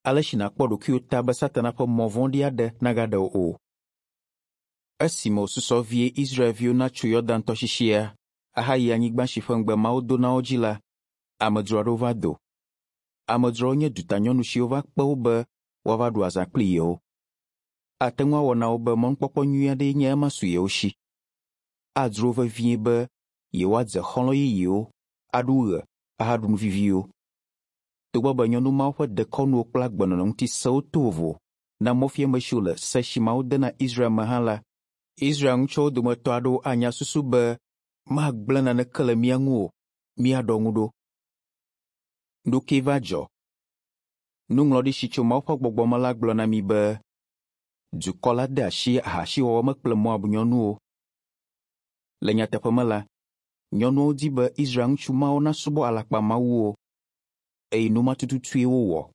Ale si nàkpɔ ɖokuiwò ta be Satana ƒe mɔ vɔ̃ɖi aɖe nagaɖe wò o. Esime wòsusɔ vie Israelviwo natso Yɔdan tɔsisia ahayi anyigba si ƒe ŋugbe Mawu do na wo dzi la, amedzro aɖewo va do. Amedzroawo nye dutanyɔnu siwo va kpe wo be woava ɖu azã kpli yewo. Ate ŋu awɔ na wo be mɔnukpɔkpɔ nyui aɖee nye ema su yewo si. Adzro wo vevie be yewoadze xɔlɔ̃ yeyewo, aɖu ɣe ahaɖu nu viviwo. Togbɔ be nyɔnu mawo ƒe dekɔnuwo kple agbenɔnɔ ŋuti sewo to vovo na mɔfiame siwo le se si Mawu de na Israel me hã la, Israel ŋutsuawo dometɔ aɖewo anya susu be magblẽ naneke le mía ŋu o, míaɖɔ ŋu ɖo. Nu kae va dzɔ? Nuŋlɔɖi si tso Mawu ƒe gbɔgbɔ me la gblɔ na mí be dukɔ la de asi ahasiwɔwɔ me kple Moab nyɔnuwo. Le nyateƒe me la, nyɔnuawo di be Israel ŋutsu mawo nasubɔ alakpamawuwo, eye nu ma tututue wowɔ.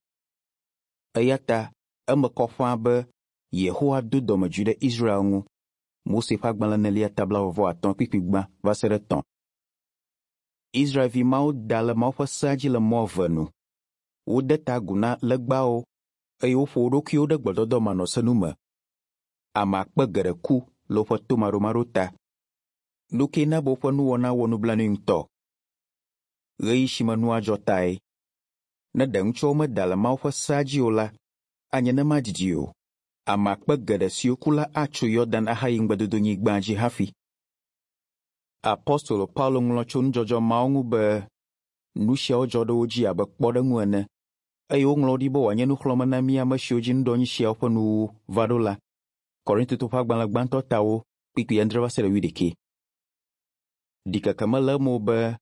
Eya ta eme kɔ ƒãa be Yehowa do dɔmedzoe ɖe Israel ŋu. Mose ƒe agbalẽ enelia ta blaeve-vɔ-atɔ̃ kpukpui gbã va se ɖe etɔ̃. Israelvi mawo da le Mawu ƒe sea dzi le mɔ eve nu. Wode ta agu na legbawo eye woƒo wo ɖokuiwo ɖe gbɔdɔdɔ manɔsenu me. Ame akpe geɖe ku le woƒe tomaɖomaɖo ta. Nu kae na be woƒe nuwɔna wɔ nublanui ŋutɔ? Ɣeyiɣi si me nua dzɔ tae. Ne ɖe ŋutsuawo meda le Mawu ƒe sea dzi o la, anye ne madidi o. Ame akpe geɖe siwo ku la atso Yɔdan ahayi ŋugbedodonyigbaa dzi hafi. Apostolo Paulo ŋlɔ tso nudzɔdzɔ mawo ŋu be, Nu siawo dzɔ ɖe wo dzi abe kpɔɖeŋu ene, eye woŋlɔ wo ɖi be wòanye nuxlɔ̃ame na mí ame siwo dzi nuɖoanyi siawo ƒe nuwuwu va ɖo la. Korintotɔwo ƒe agbalẽ gbãtɔ tawo kpukpui adre va se ɖe wuiɖekɛ. Ɖikeke mele eme o be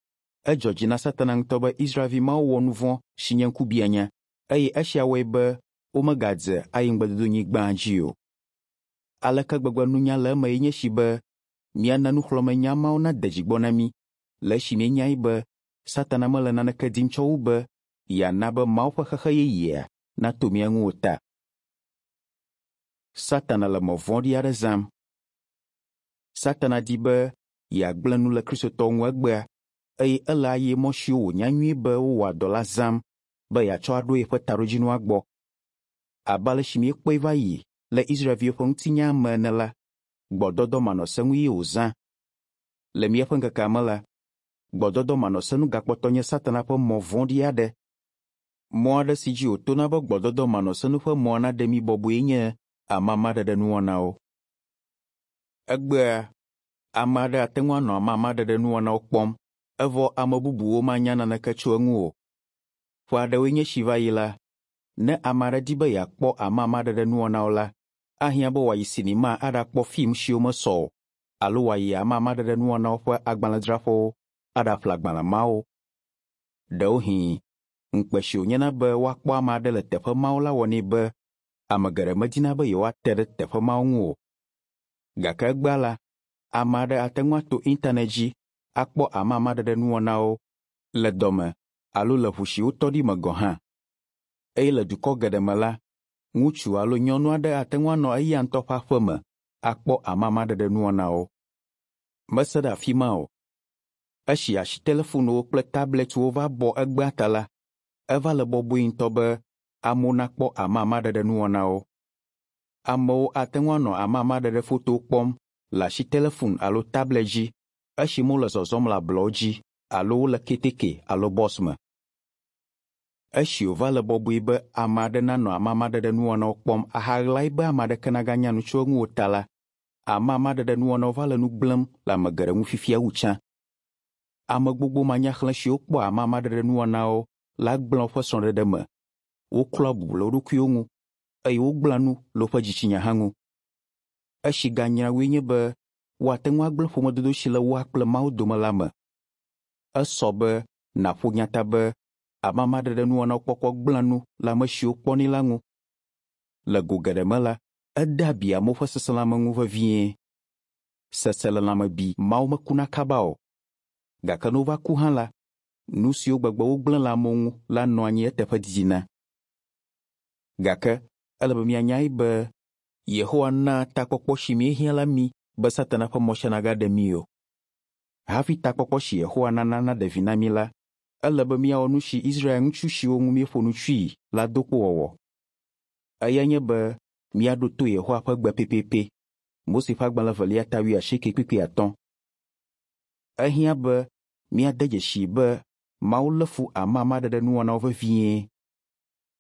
edzɔ dzi na Satana ŋutɔ be Israelvi mawo wɔ nu vɔ̃ si nye ŋkubiãnya, eye esia wɔe be womegadze ayi ŋugbedodonyigbaa dzi o. Aleke gbegbe nunya le eme ye nye esi be míana nuxlɔ̃amenya mawo nade dzi gbɔ na mí le esi míenyae be Satana mele naneke dim tsɔ wu be yeana be Mawu ƒe xexe yeyea nato mía ŋu o ta. Satana le mɔ vɔ̃ɖi aɖe zãm. Satana di be yeagblẽ nu le Kristotɔwo ŋu egbea, eye ele ayemɔ siwo wònya nyuie be wowɔa dɔ la zãm be yeatsɔ aɖo yeƒe taɖodzinua gbɔ. Abe ale si míekpɔe va yi le Israelviwo ƒe ŋutinyaa me ene la, gbɔdɔdɔ manɔsenu ye wòzã. Le míaƒe ŋkekea me la, gbɔdɔdɔ manɔsenu gakpɔtɔ nye Satana ƒe mɔ vɔ̃ɖi aɖe. Mɔ aɖe si dzi wòtona be gbɔdɔdɔ manɔsenu ƒe mɔa naɖe mí bɔbɔe nye amamaɖeɖenuwɔnawo. Egbea, ame aɖe ate ŋu anɔ amamaɖeɖenuwɔnawo kpɔm evɔ ame bubuwo manya naneke tso eŋu o. Ƒe aɖewoe nye esi va yi la, ne ame aɖe di be yeakpɔ amamaɖeɖenuwɔnawo la, ahiã be wòayi sinima aɖakpɔ fim siwo mesɔ o alo wòayi amamaɖeɖenuwɔnawo ƒe agbalẽdzraƒewo aɖaƒle agbalẽ mawo. Ɖewohĩ, ŋukpe si wònyena be woakpɔ ame aɖe le teƒe mawo la wɔnɛ be ame geɖe medina be yewoate ɖe teƒe mawo ŋu o. Gake egbea la, ame aɖe ate ŋu ato internet dzi akpɔ amamaɖeɖenuwɔnawo le dɔme alo le ʋu si wotɔ ɖi me gɔ̃ hã. Eye le dukɔ geɖe me la, ŋutsu alo nyɔnu aɖe ate ŋu anɔ eya ŋutɔ ƒe aƒe me akpɔ amamaɖeɖenuwɔnawo. Mese ɖe afi ma o. Esi asitelefonwo kple tablɛtwo va bɔ egbea ta la, eva le bɔbɔe ŋutɔ be amewo nakpɔ amamaɖeɖenuwɔnawo. Amewo ate ŋu anɔ amamaɖeɖefotowo kpɔm le asitelefon alo tablɛt dzi esime wole zɔzɔm le ablɔwo dzi alo wole keteke alo bɔs me. Esi wòva le bɔbɔe be ame aɖe nanɔ amamaɖeɖenuwɔnawo kpɔm ahaɣlae be ame aɖeke naganya nu tso eŋu o ta la, amamaɖeɖenuwɔnawo va le nu gblẽm le ame geɖe ŋu fifia wu tsã. Ame gbogbo manyaxlẽ siwo kpɔa amamaɖeɖenuwɔnawo la gblẽa woƒe srɔ̃ɖeɖe me, woklɔa bubu le wo ɖokuiwo ŋu, eye wogblẽa nu le woƒe dzitsinya hã ŋu. Esi ganyra wue nye be woate ŋu agblẽ ƒomedodo si le woa kple Mawu dome la me. Esɔ be nàƒo nya ta be amamaɖeɖenuwɔnawo kpɔkpɔ gblẽa nu le ame siwo kpɔnɛ la ŋu. Le go geɖe me la, edea abi amewo ƒe seselelãme ŋu vevie. Seselelãme bi mawo mekuna kaba o. Gake ne wova ku hã la, nu siwo gbegbe wogblẽ le amewo ŋu la nɔa anyi eteƒe didina. Gake ele be míanyae be Yehowa naa takpɔkpɔ si míehiã la mí be Satana ƒe mɔ sia nagaɖe mí o. Hafi takpɔkpɔ si Yehowa nana naɖe vi na mí la, ele be míawɔ nu si Israel ŋutsu siwo ŋu míeƒo nu tsoe la do kpo wɔwɔ. Eyae nye be míaɖo to Yehowa ƒe gbe pɛpɛpɛ. Mose ƒe agbalẽ evelia ta wuiasieke kpukpui atɔ̃. Ehiã be míade dzesii be Mawu lé fu amamaɖeɖenuwɔnawo vevie.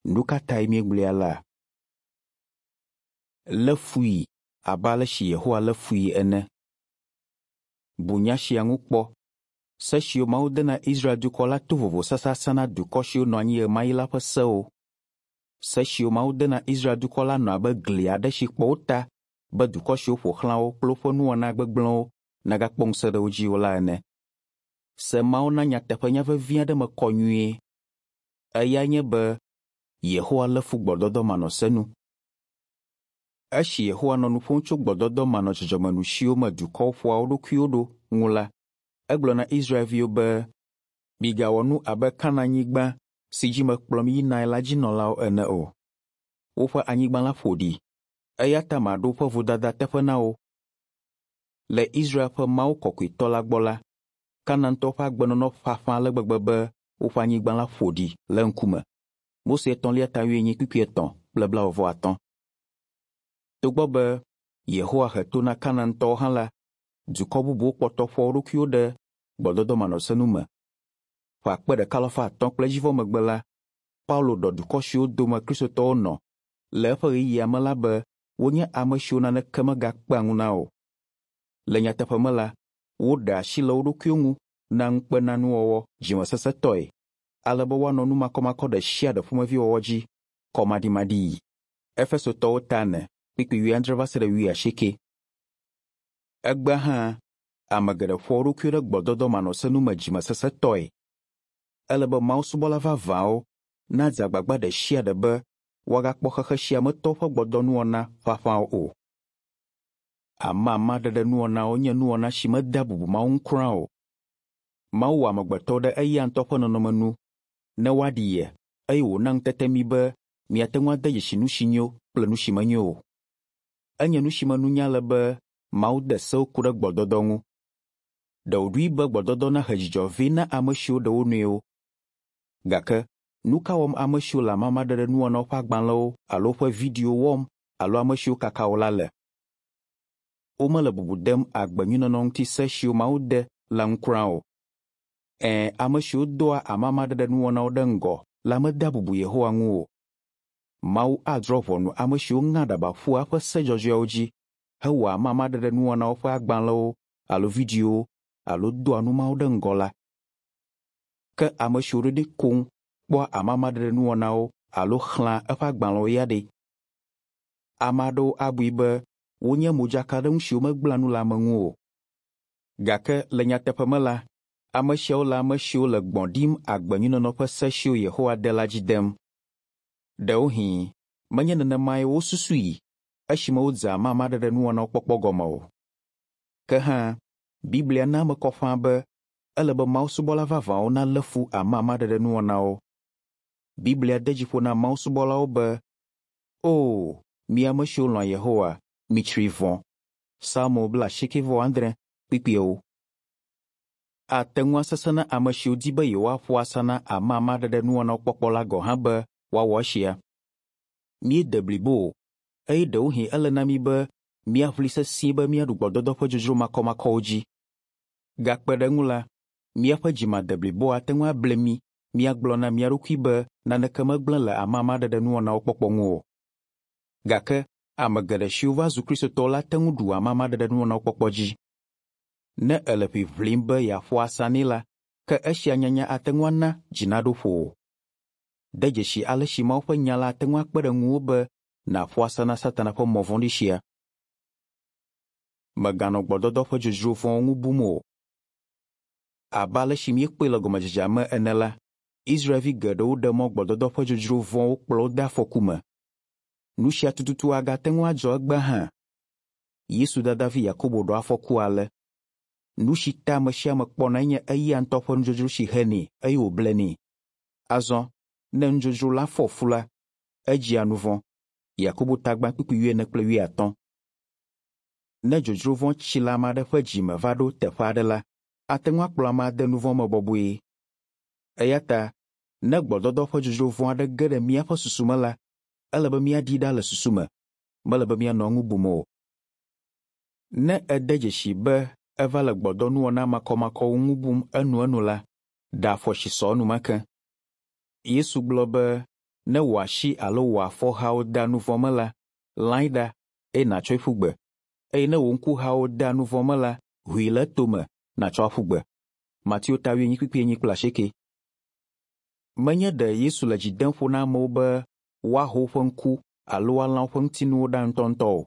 Nu ka tae míegblɔe alea? Lé fui abe ale si Yehowa lé fui ene. Bu nya sia ŋu kpɔ. Se siwo Mawu de na Israel dukɔ la to vovo sasasã na dukɔ siwo nɔ anyi ɣemaɣi la ƒe sewo. Se siwo Mawu de na Israel dukɔ la nɔ abe gli aɖe si kpɔ wo ta be dukɔ siwo ƒo xlã wo kple woƒe nuwɔna gbegblẽwo nagakpɔ ŋusẽ ɖe wo dzi o la ene. Se mawo na nyateƒenya vevi aɖe me kɔ nyuie. Eyae nye be Yehowa lé fu gbɔdɔdɔ manɔsenu. Esi Yehowa nɔ nu ƒom tso gbɔdɔdɔ manɔdzɔdzɔmenu siwo me dukɔwo ƒoa wo ɖokuiwo ɖo ŋu la, egblɔ na Israelviwo be, Migawɔ nu abe Kanaanyigba si dzi mekplɔ mi yinae la dzi nɔlawo ene o. Woƒe anyigba la ƒo ɖi, eya ta maɖo woƒe vodada teƒe na wo. Le Israel ƒe Mawu kɔkɔetɔ la gbɔ la, Kanaantɔwo ƒe agbenɔnɔ ƒaƒã ale gbegbe be woƒe anyigba la ƒo ɖi le eŋkume. Mose etɔ̃lia ta wuienyi kpukpui etɔ̃ kple blaeve-vɔ-atɔ̃. Togbɔ be Yehowa he to na Kanaantɔwo hã la, dukɔ bubuwo kpɔtɔ ƒoa wo ɖokuiwo ɖe gbɔdɔdɔ manɔsenu me. Ƒe akpe ɖeka alafa atɔ̃ kple edzivɔ megbe la, Paulo ɖɔ dukɔ siwo dome Kristotɔwo nɔ le eƒe ɣeyiɣia me la be wonye ame siwo naneke megakpea ŋu na o. Le nyateƒe me la, woɖe asi le wo ɖokuiwo ŋu na ŋukpenanuwɔwɔ dzimesesẽtɔe ale be woanɔ nu makɔmakɔ ɖe sia ɖe ƒomevi wɔwɔ dzi kɔmaɖimaɖii. Efesotɔwo ta ene kpukpui wuiadre va se ɖe wuiasieke. Egbea hã, ame geɖe ƒoa wo ɖokuiwo ɖe gbɔdɔdɔ manɔsenu me dzimesesẽtɔe. Ele be Mawu subɔla vavãwo nadze agbagba ɖe sia ɖe be woagakpɔ xexe sia me tɔwo ƒe gbɔdɔnuwɔna ƒaƒãwo o. Amamaɖeɖenuwɔnawo nye nuwɔna si medea bubu Mawu ŋu kura o. Mawu wɔ amegbetɔwo ɖe eya ŋutɔ ƒe nɔnɔme nu ne woaɖi ye eye wòna ŋutete mí be míate ŋu ade dzesi nu si nyo kple nu si menyo o. Enye nu si me nunya le be Mawu de sewo ku ɖe gbɔdɔdɔ ŋu. Ɖe wòɖoe be gbɔdɔdɔ nahe dzidzɔ vɛ na ame siwo ɖe wo nɔewo. Gake nu ka wɔm ame siwo le amamaɖeɖenuwɔnawo ƒe agbalẽwo alo woƒe videowo wɔm alo ame siwo kaka wo la le? Womele bubu dem agbenyuinɔnɔ ŋuti se siwo Mawu de la ŋu kura o. Ɛ̃, ame siwo doa amamaɖeɖenuwɔnawo ɖe ŋgɔ la medea bubu Yehowa ŋu o. Mawu adrɔ̃ ʋɔnu ame siwo ŋea aɖaba ƒua eƒe se dzɔdzɔeawo dzi hewɔa amamaɖeɖenuwɔnawo ƒe agbalẽwo alo videowo alo doa nu mawo ɖe ŋgɔ la. Ke ame siwo ɖoɖoe koŋ kpɔa amamaɖeɖenuwɔnawo alo xlẽa eƒe agbalẽwo ya ɖe? Ame aɖewo abui be wonye modzakaɖenu siwo megblẽa nu le ame ŋu o. Gake le nyateƒe me la, ame siawo le ame siwo le gbɔ̃ ɖim agbenyuinɔnɔ ƒe se siwo Yehowa de la dzi dem. Ɖewohĩ menye nenemae wosusui esime wodze amamaɖeɖenuwɔnawo kpɔkpɔ gɔme o. Ke hã, Biblia na eme kɔ ƒãa be ele be Mawu subɔla vavãwo nalé fu amamaɖeɖenuwɔnawo. Biblia de dzi ƒo na Mawu subɔlawo be, O, mi ame siwo lɔ̃a Yehowa, mitsri vɔ̃. Psalmo blaasiekɛ-vɔ-adre, kpukpui ewo. Ate ŋu asesẽ na ame siwo di be yewoaƒo asa na amamaɖeɖenuwɔnawo kpɔkpɔ la gɔ̃ hã be woawɔ esia. Míede blibo o, eye ɖewohĩ ele na mí be míaʋli sesĩe be míaɖu gbɔdɔdɔ ƒe dzodzro makɔmakɔwo dzi. Gakpe ɖe eŋu la, míaƒe dzi madeblibo ate ŋu able mí míagblɔ na mía ɖokui be naneke megblẽ le amamaɖeɖenuwɔnawo kpɔkpɔ ŋu o. Gake ame geɖe siwo va zu Kristotɔwo la te ŋu ɖu amamaɖeɖenuwɔnawo kpɔkpɔ dzi. Ne èle ʋiʋlim be yeaƒo asa nɛ la, ke esia nyanya ate ŋu ana dzi naɖo ƒowò. De dzesi ale si Mawu ƒe Nya la ate ŋu akpe ɖe ŋuwò be nàƒo asa na Satana ƒe mɔ vɔ̃ɖi sia. Mèganɔ gbɔdɔdɔ ƒe dzodzro vɔ̃wo ŋu bum o. Abe ale si míekpɔe le gɔmedzedzea me ene la, Israelvi geɖewo ɖe mɔ gbɔdɔdɔ ƒe dzodzro vɔ̃wo kplɔ wo de afɔku me. Nu sia tututu agate ŋu adzɔ egbea hã. Yesu dadavi Yakobo ɖɔ afɔku ale, Nu si ta ame sia ame kpɔnae nye eya ŋutɔ ƒe nudzodzro si henɛ eye wòblenɛ. Azɔ, ne nudzodzro la fɔ fu la, edzia nu vɔ̃. Yakobo tagbã kpukpui wuiene kple wuiatɔ̃. Ne dzodzro vɔ̃ tsi le ame aɖe ƒe dzi me va ɖo teƒe aɖe la, ate ŋu akplɔ amea ade nu vɔ̃ me bɔbɔe. Eya ta, ne gbɔdɔdɔ ƒe dzodzro vɔ̃ aɖe ge ɖe míaƒe susu me la, ele be míaɖi ɖa le susu me, mele be míanɔ eŋu bum o. Ne ède dzesi be eva le gbɔdɔnuwɔna makɔmakɔwo ŋu bum enuenu la, ɖe afɔ si sɔ enumake. Yesu gblɔ be ne wò asi alo wò afɔhawo da nu vɔ̃ me la, lãe ɖa eye nàtsɔe ƒu gbe. Eye ne wò ŋkuhawo da nu vɔ̃ me la, ʋui le etome nàtsɔ aƒu gbe. Mateo ta wuienyi kpukpui enyi kple asieke. Menye ɖe Yesu le dzi dem ƒo na amewo be woaho woƒe ŋku alo woalã woƒe ŋutinuwo ɖa ŋutɔŋutɔ o.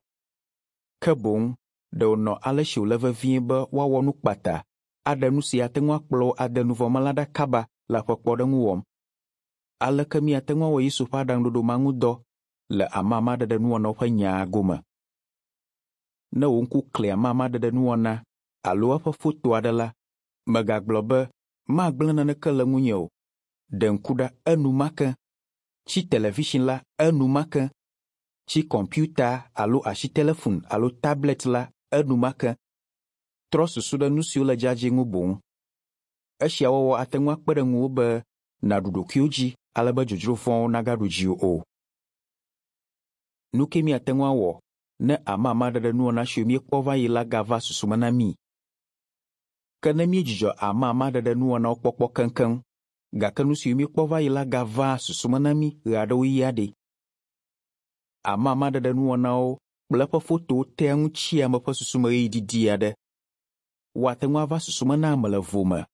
Ke boŋ ɖe wònɔ ale si wòle vevie be woawɔ nu kpata aɖe nu si ate ŋu akplɔ wo ade nu vɔ̃ me la ɖa kaba la ƒe kpɔɖeŋu wɔm. Aleke míate ŋu awɔ Yesu ƒe aɖaŋuɖoɖo ma ŋu dɔ le amamaɖeɖenuwɔnawo ƒe nyaa gome? Ne wò ŋku kli amamaɖeɖenuwɔna alo eƒe foto aɖe la, mègagblɔ be, Magblẽ naneke le ŋunye o. Ɖe ŋku ɖa enumake. Tsi television la enumake. Tsi kɔmpiuta alo asitelefon alo tablɛt la enumake. Trɔ susu ɖe nu siwo le dzadzɛ ŋu boŋ. Esia wɔwɔ ate ŋu akpe ɖe ŋuwò be nàɖu ɖokuiwò dzi ale be dzodzro vɔ̃wo nagaɖu dziwò o. Nu kae míate ŋu awɔ ne amamaɖeɖenuwɔna siwo míekpɔ va yi la gava susu me na mí? Ke ne míedzudzɔ amamaɖeɖenuwɔnawo kpɔkpɔ keŋkeŋ, gake nu siwo míekpɔ va yi la gavaa susu me na mí ɣeaɖewoɣi ya ɖe? Amamaɖeɖenuwɔnawo kple eƒe fotowo tea ŋu tsia ame ƒe susu me ɣeyiɣi didi aɖe. Woate ŋu ava susu me na ame le vo me.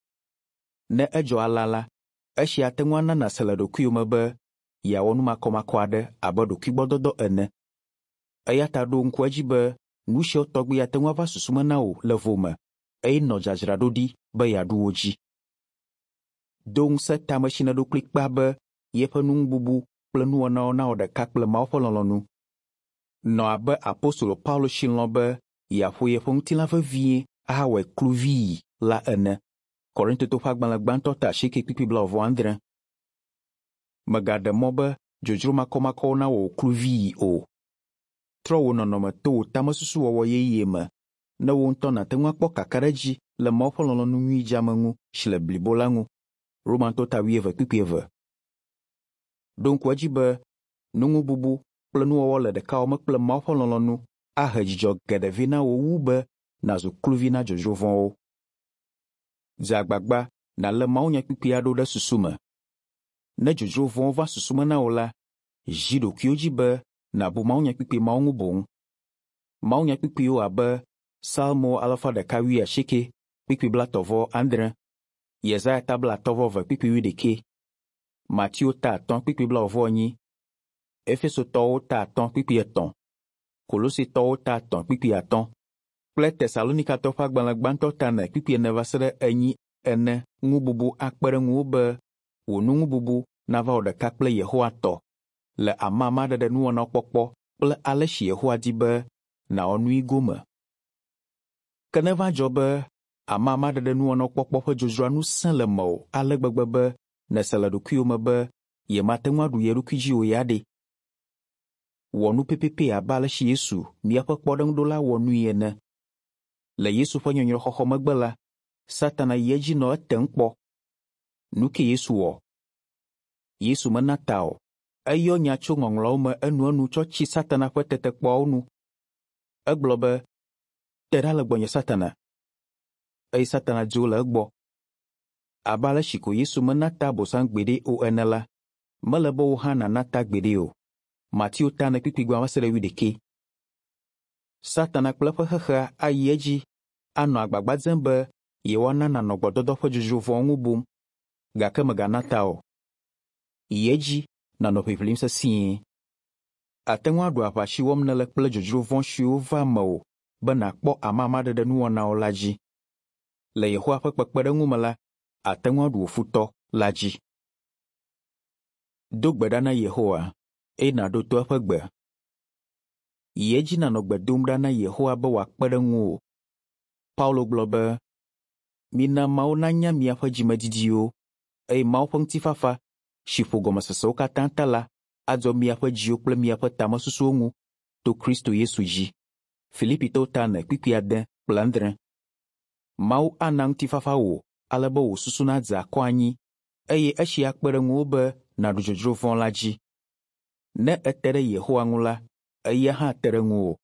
Ne edzɔ alea la, esia ate ŋu ana nàse le ɖokuiwò me be yeawɔ nu makɔmakɔ aɖe abe ɖokuigbɔdɔdɔ ene. Eya ta ɖo ŋku edzi be nu siawo tɔgbi ate ŋu ava susu me na wò le vo me eye nɔ dzadzraɖoɖi be yeaɖu wo dzi. Do ŋusẽ tame si nèɖo kplikpaa be yeƒe nuŋububu kple nuwɔnawo nawɔ ɖeka kple Mawu ƒe lɔlɔ̃nu. Nɔ abe apostolo Paulo si lɔ̃ be yeaƒo yeƒe ŋutilã vevie ahawɔe kluvii la ene. Korintotɔwo ƒe agbalẽ gbãtɔ ta asieke kpukpui blaeve-vɔ-adre. Mègaɖe mɔ be dzodzro makɔmakɔwo nawɔ wò kluvii o. Trɔ wò nɔnɔme to wò tamesusuwɔwɔ yeye me ne wò ŋutɔ nàte ŋu akpɔ kakaɖedzi le Mawu ƒe lɔlɔ̃nu nyui dzeame ŋu si le blibo la ŋu. Romatɔwo ta wuieve kpukpui eve. Ɖo ŋku edzi be nuŋububu kple nuwɔwɔ le ɖekawɔme kple Mawu ƒe lɔlɔ̃nu ahe dzidzɔ geɖe vɛ na wò wu be nàzu kluvi na dzodzro vɔ̃wo. Dze agbagba nàlé mawunyakpukpui aɖewo ɖe susu me. Ne dzodzro vɔ̃wo va susu me na wò la, zi ɖokuiwò dzi be nàbu mawunyakpukpui mawo ŋu boŋ. Mawunyakpukpuiwo abe Psalmo alafa ɖeka wuiasieke kpukpui blaetɔ̃ vɔ adre, Yesaya ta blaatɔ̃ vɔ eve kpukpui wuiɖekɛ, Mateo ta atɔ̃ kpukpui blaeve vɔ enyi, Efesotɔwo ta atɔ̃ kpukpui etɔ̃, Kolositɔwo ta etɔ̃ kpukpui atɔ̃ kple Tesalonikatɔwo ƒe agbalẽ gbãtɔ ta ene kpukpui ene va se ɖe enyi ene ŋu bubu akpe ɖe ŋuwò be wò nuŋububu nava wɔ ɖeka kple Yehowa tɔ le amamaɖeɖenuwɔnawo kpɔkpɔ kple ale si Yehowa di be nàwɔ nui gome. Ke neva dzɔ be amamaɖeɖenuwɔnawo kpɔkpɔ ƒe dzodzroa nu sẽ le mewò ale gbegbe be nèse le ɖokuiwò me be yemate ŋu aɖu ye ɖokui dzi o ya ɖe? Wɔ nu pɛpɛpɛ abe ale si Yesu, míaƒe kpɔɖeŋuɖola wɔ nui ene. Le Yesu ƒe nyɔnyrɔxɔxɔ megbe la, Satana yi edzi nɔ etem kpɔ. Nu kae Yesu wɔ? Yesu mena ta o. Eyɔ nya tso Ŋɔŋlɔawo me enuenu tsɔ tsi Satana ƒe tetekpɔawo nu. Egblɔ be, Te ɖa le gbɔnye Satana. Eye Satana dzo le egbɔ. Abe ale si ko Yesu mena ta Abosam gbeɖe o ene la, mele be wò hã nàna ta gbeɖe o. Mateo ta ene kpukpui gbã va se ɖe wuiɖekɛ. Satana kple eƒe xexea ayi edzi anɔ agbagba dzem be yewoana nànɔ gbɔdɔdɔ ƒe dzodzro vɔ̃wo ŋu bum, gake mègana ta o. Yi edzi nànɔ ʋiʋlim sesĩe. Àte ŋu aɖu aʋa si wɔm nèle kple dzodzro vɔ̃ siwo vaa mewò be nàkpɔ amamaɖeɖenuwɔnawo la dzi. Le Yehowa ƒe kpekpeɖeŋu me la, àte ŋu aɖu wò futɔ la dzi. Do gbe ɖa na Yehowa eye nàɖo to eƒe gbe. Yi edzi nànɔ gbe dom ɖa na Yehowa be wòakpe ɖe ŋuwò. Paulo gblɔ be, Mina Mawu nanya miaƒe dzimedidiwo, eye Mawu ƒe ŋutifafa, si ƒo gɔmesesewo katã ta la, adzɔ miaƒe dziwo kple miaƒe tamesusuwo ŋu to Kristo Yesu dzi. Filipitɔwo ta ene kpukpui ade kple adre. Mawu ana ŋutifafa wò ale be wò susu nadze akɔ anyi eye esia akpe ɖe ŋuwò be nàɖu dzodzro vɔ̃ la dzi. Ne ète ɖe Yehowa ŋu la, eya hã te ɖe ŋuwò.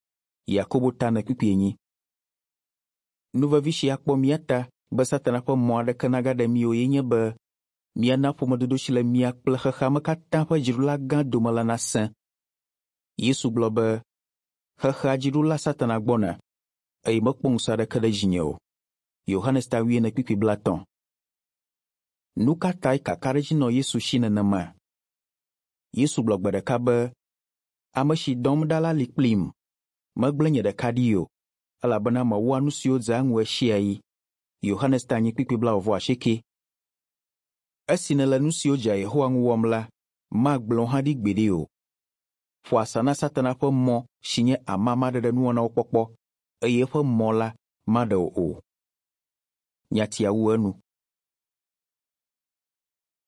Yakobo ta ene kpukpui enyi. Nu vevi si akpɔ mía ta be Satana ƒe mɔ aɖeke nagaɖe mí o ye nye be míana ƒomedodo si le mía kple xexea me katã ƒe dziɖula gã dome la nasẽ. Yesu gblɔ be, Xexea dziɖula Satana gbɔna, eye mekpɔ ŋusẽ aɖeke ɖe dzinye o. Yohanes ta wuiene kpukpui blaetɔ̃. Nu ka tae kakaɖedzi nɔ Yesu si nenema? Yesu gblɔ gbe ɖeka be, Ame si dɔm ɖa la li kplim. Megblẽ nye ɖeka ɖi o, elabena mewɔa nu siwo dzea eŋu ɣesiaɣi. Yohanes ta enyi kpukpui blaeve-vɔ-asieke. Esi nèle nu siwo dzea Yehowa ŋu wɔm la, magblẽ wò hã ɖi gbeɖe o. Ƒo asa na Satana ƒe mɔ si nye amamaɖeɖenuwɔnawo kpɔkpɔ, eye eƒe mɔ la maɖe wò o. Nyatia wu enu.